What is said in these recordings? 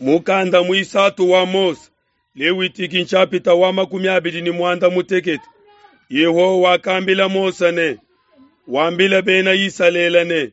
Mukanda muisatu wa Mose, Lewitiki nshapita wa 28. Yehowa wakambila Mose ne, Wambile bena Isalele ne,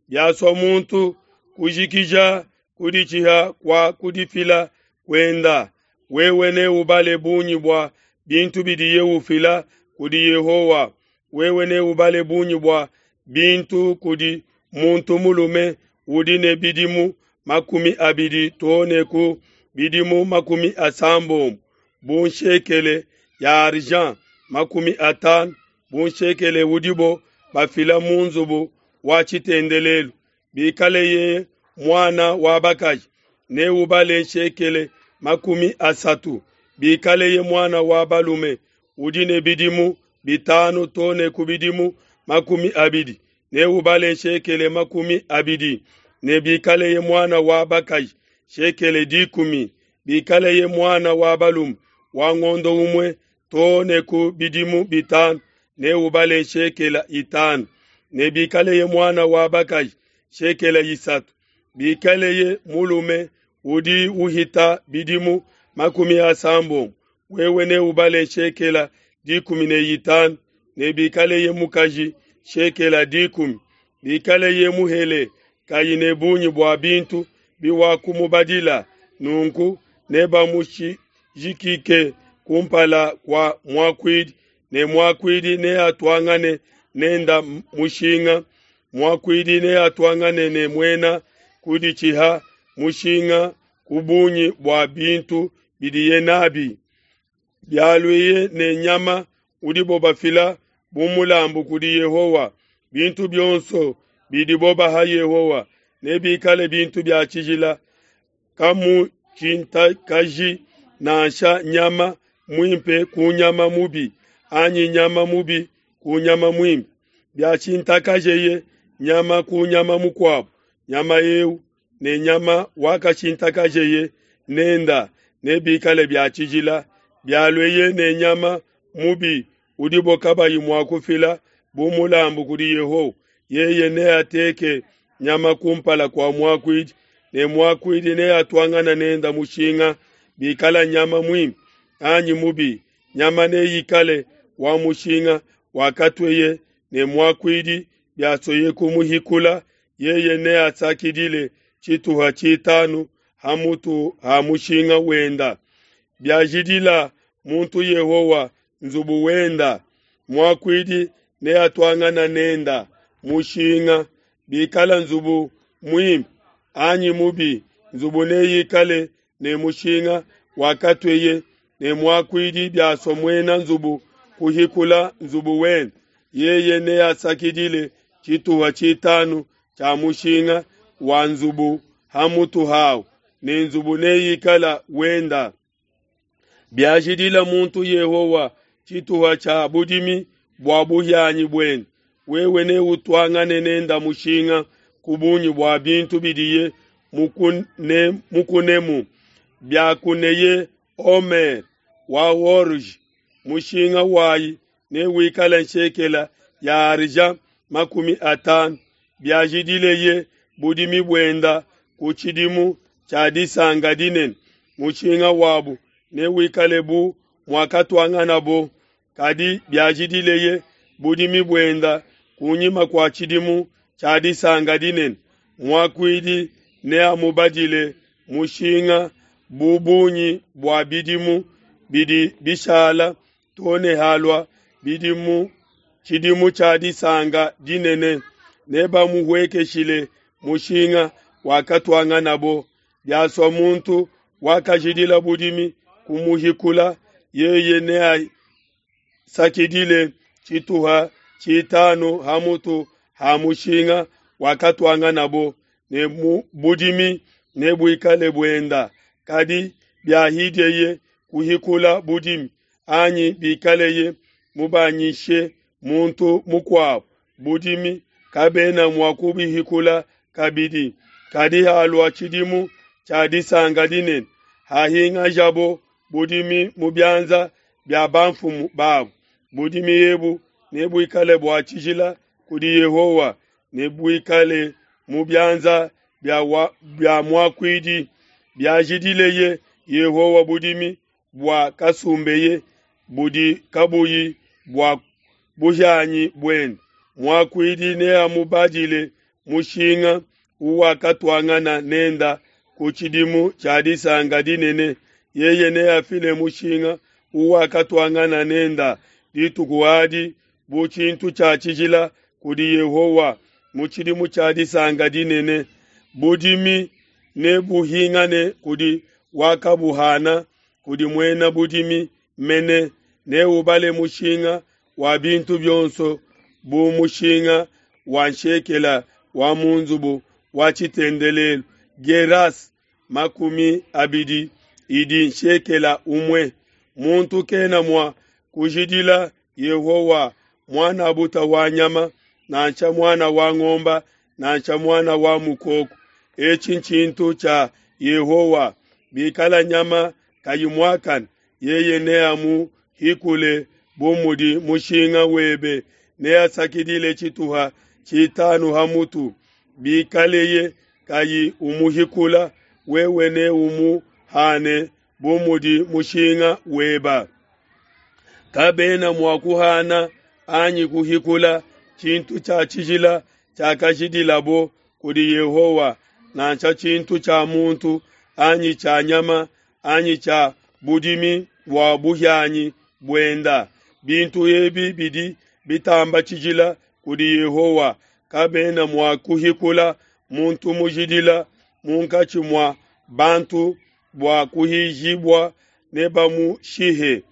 biasua muntu kujikija kuditshiha kua kudifila kuenda, wewe neubale bungi bua bintu bidiye ufila kudi Yehowa. Wewe neubale bungi bua bintu kudi muntu mulume udi ne bidimu 20 too ne ku bidimu 70, bu nshekele ya argent 50, bu nshekele udibo bafila mu nzubu wa tshitendelelu. Bikaleye muana wa bakaji, neubale nshekele 30. Bikaleye muana wa balume udi ne bidimu 5 too ne ku bidimu 20, neubale nshekele 20. Ne bikaleye muana wa bakaji, nshekele 10. Bikaleye muana wa balume wa ngondo umue too ne ku bidimu 5, neubale nshekele 5. Ne bikaleye muana wa bakaji, nshekele 3. Bikaleye mulume udi uhita bidimu 70, wewe neubale nshekela 15. Ne bikaleye mukaji, nshekela 10. Bikaleye muhele kayi ne bungi bua bintu biwakumubadila, nunku nebamushijikike kumpala kua muakuidi, ne muakuidi neatuangane nenda mushinga. Muakuidi neatuangane ne muena kuditshiha mushinga ku bungi bua bintu bidiye nabi. Bialueye ne nyama udibo bafila bu mulambu kudi Yehowa, bintu bionso bidibo baha Yehowa nebikale bintu bia tshijila. Kamutshintakanyi nansha nyama muimpe ku nyama mubi, anyi nyama mubi ku nyama muimpe. Biashintakajeye nyama ku nyama mukuabo, nyama eu ne nyama wakashintakajeye nenda nebikale bia tshijila. Bialueye ne nyama mubi udibo kabayi mua kufila bu mulambu kudi Yehowa, yeye neateke nyama kumpala kua muakuidi, ne muakuidi neatuangane nenda mushinga. Bikala nyama muimpe anyi mubi, nyama neikale wa mushinga wakatueye ne muakuidi. Biasueye kumuhikula, yeye neasakidile tshituha tshitanu ha mutu ha mushinga wenda. Biajidila muntu Yehowa nzubu wenda, muakuidi neatuangane nenda mushinga. Bikala nzubu muimpe anyi mubi, nzubu neikale ne mushinga wakatueye ne muakuidi. Biasua muena nzubu kuhikula nzubu wenda, yeye neasakidile tshituha tshitanu tshia mushinga wa nzubu ha mutu hawu, ne nzubu neikale wenda. Biajidila muntu Yehowa tshituha tshia budimi bua buhianyi buende, wewe neutuangane nenda mushinga ku bungi bua bintu bidiye mukunemu. Biakuneye omer wa orge, mushinga wayi newikale nshekela ya argent 50. Biajidileye budimi buenda ku tshidimu tshia disanka dinene, mushinga wabu newikale bu muakatuanganabo. Kadi biajidileye budimi buenda kunyima kua tshidimu tshia disanka dinene, muakuidi neamubadile mushinga bu bungi bua bidimu bidi bishala too ne halua tshidimu tshia disanka dinene. Nebamuhuekeshile mushinga wakatuanganabo. Biasua muntu wakajidila budimi kumuhikula, yeye neasakidile tshituha tshitanu ha mutu ha mushinga wakatuanganabo, ne budimi nebuikale buenda. Kadi biahidieye kuhikula budimi, anyi bikaleye mubanyishe muntu mukuabo budimi, kabena mua kubihikula kabidi. Kadi halua tshidimu tshia disanka dinene, hahingajabo budimi mu bianza bia bamfumu babo, budimi ebu nebuikale bua tshijila kudi Yehowa, nebuikale mu bianza bia muakuidi. Biajidileye Yehowa budimi bua kasumbeye budi kabuyi bua buhianyi buende, muakuidi neamubadile mushinga uwakatuangana nenda ku tshidimu tshia disanka dinene. Yeye neafile mushinga uwakatuangana nenda dituku adi bu tshintu tshia tshijila kudi Yehowa mu tshidimu tshia disanka dinene. Budimi nebuhingane kudi wakabuhana, kudi muena budimi mene. Neubale mushinga wa bintu bionso bu mushinga wa nshekela wa mu nzubu wa tshitendelelu, gueras 20 idi nshekela umue. Muntu kena mua kujidila Yehowa muan'a wa nyama, nansha muana wa ngomba, nansha muana wa mukoko. Etshi ntshintu tshia Yehowa. Bikala nyama kayi muakane, yeye neamuhikule bu mudi mushinga webe, neasakidile tshituha tshitanu ha mutu. Bikaleye kayi umuhikula, wewe neumuhane bu mudi mushinga weba. Kabena mua kuhana anyi kuhikula tshintu tshia tshijila tshiakajidilabo kudi Yehowa, nansha tshintu tshia muntu anyi tshia nyama anyi tshia budimi bua buhianyi buenda. Bintu ebi bidi bitamba tshijila kudi Yehowa. Kabena mua kuhikula muntu mujidila munkatshi mua bantu bua kuhijibua, nebamushihe.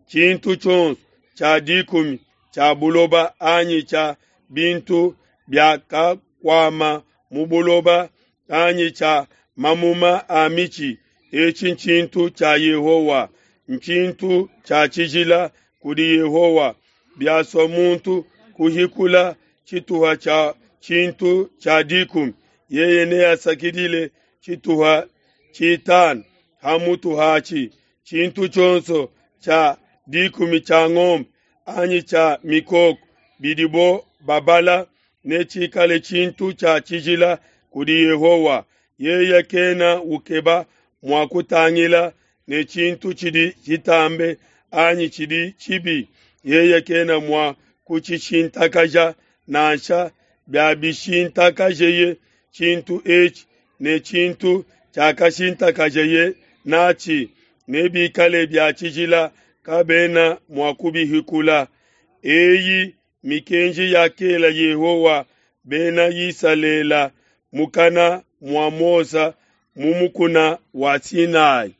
Tshintu tshionso tshia dikumi tshia buloba anyi tshia bintu biakakuama mu buloba anyi tshia mamuma a mitshi, etshi ntshintu tshia Yehowa, ntshintu tshia tshijila kudi Yehowa. Biasua muntu kuhikula tshituha tshia tshintu tshia dikumi, yeye neasakidile tshituha tshitanu ha mutu hatshi. Tshintu tshionso tshia dikumi tshia ngombe anyi tshia mikoko bidibo babala netshikale tshintu tshia tshijila kudi Yehowa. Yeye kena ukeba mua kutangila ne tshintu tshidi tshitambe anyi tshidi tshibi, yeye kena mua kutshishintakaja nansha. Biabishintakajeye tshintu etshi ne tshintu tshiakashintakajeye natshi, nebikale bia tshijila, kabena mua kubihikula. Eyi mikenji yakela Yehowa Bena Isalele mukana mua Mose mu mukuna wa Sinai.